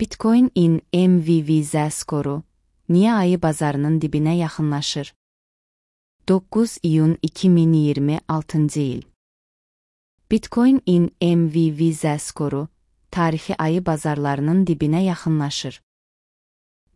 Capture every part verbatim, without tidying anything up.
Bitcoin-in M V V Z skoru niyə ayı bazarının dibinə yaxınlaşır? doqquz iyun iki min iyirmi altıncı il. Bitcoin-in M V V Z skoru tarixi ayı bazarlarının dibinə yaxınlaşır.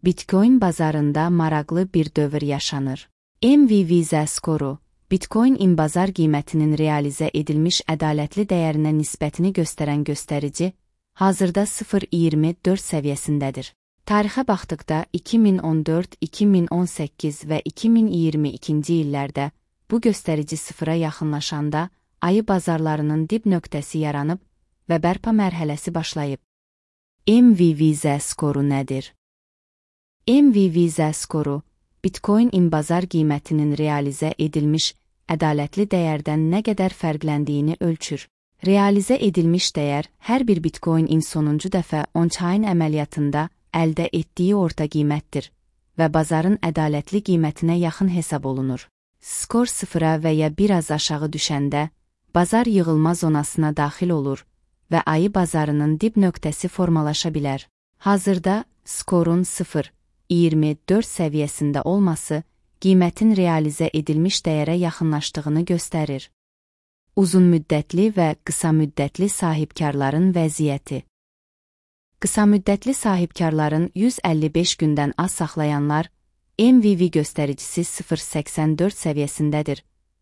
Bitcoin bazarında maraqlı bir dövr yaşanır. M V V Z skoru, Bitcoin-in bazar qiymətinin realizə edilmiş ədalətli dəyərinə nisbətini göstərən göstərici, hazırda sıfır nöqtə iyirmi dörd səviyyəsindədir. Tarixə baxdıqda iki min on dörd, iki min on səkkiz və iki min iyirmi ikinci illərdə bu göstərici sıfıra yaxınlaşanda ayı bazarlarının dib nöqtəsi yaranıb və bərpa mərhələsi başlayıb. M V V Z skoru nədir? M V V Z skoru, Bitcoin-in bazar qiymətinin realizə edilmiş ədalətli dəyərdən nə qədər fərqləndiyini ölçür. Realizə edilmiş dəyər hər bir Bitcoin-in sonuncu dəfə on-chain əməliyyatında əldə etdiyi orta qiymətdir və bazarın ədalətli qiymətinə yaxın hesab olunur. Skor sıfıra və ya biraz aşağı düşəndə, bazar yığılma zonasına daxil olur və ayı bazarının dib nöqtəsi formalaşa bilər. Hazırda skorun sıfır nöqtə iyirmi dörd səviyyəsində olması qiymətin realizə edilmiş dəyərə yaxınlaşdığını göstərir. Uzun müddətli və qısa müddətli sahibkarların vəziyyəti. Qısa müddətli sahibkarların yüz əlli beş gündən az saxlayanlar M V V göstəricisi sıfır nöqtə səksən dörd səviyyəsindədir.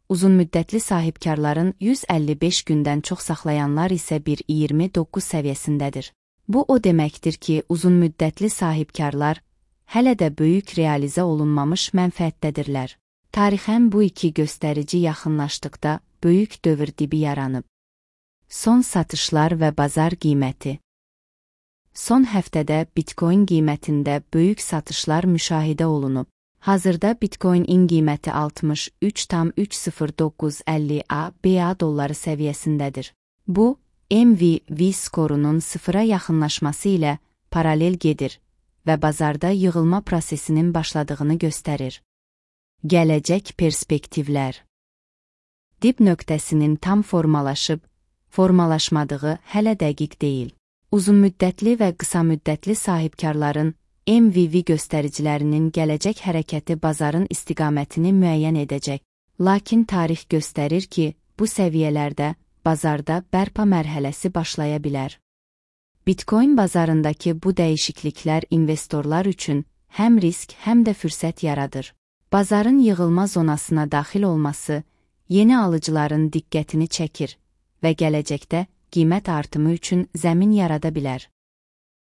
Uzun müddətli sahibkarların yüz əlli beş gündən çox saxlayanlar isə bir nöqtə iyirmi doqquz səviyyəsindədir. Bu o deməkdir ki, uzun müddətli sahibkarlar hələ də böyük realizə olunmamış mənfəətdədirlər. Tarixən bu iki göstərici yaxınlaşdıqda böyük dövr dibi yaranıb. Son satışlar və bazar qiyməti. Son həftədə Bitcoin qiymətində böyük satışlar müşahidə olunub. Hazırda Bitcoin-in qiyməti altmış üç nöqtə üç sıfır doqquz əlli B A dolları səviyyəsindədir. Bu, M V V skorunun sıfıra yaxınlaşması ilə paralel gedir və bazarda yığılma prosesinin başladığını göstərir. Gələcək perspektivlər. Dib nöqtəsinin tam formalaşıb, formalaşmadığı hələ dəqiq deyil. Uzun müddətli və qısa müddətli sahibkarların M V V göstəricilərinin gələcək hərəkəti bazarın istiqamətini müəyyən edəcək. Lakin tarix göstərir ki, bu səviyyələrdə bazarda bərpa mərhələsi başlaya bilər. Bitcoin bazarındakı bu dəyişikliklər investorlar üçün həm risk, həm də fürsət yaradır. Bazarın yığılma zonasına daxil olması yeni alıcıların diqqətini çəkir və gələcəkdə qiymət artımı üçün zəmin yarada bilər.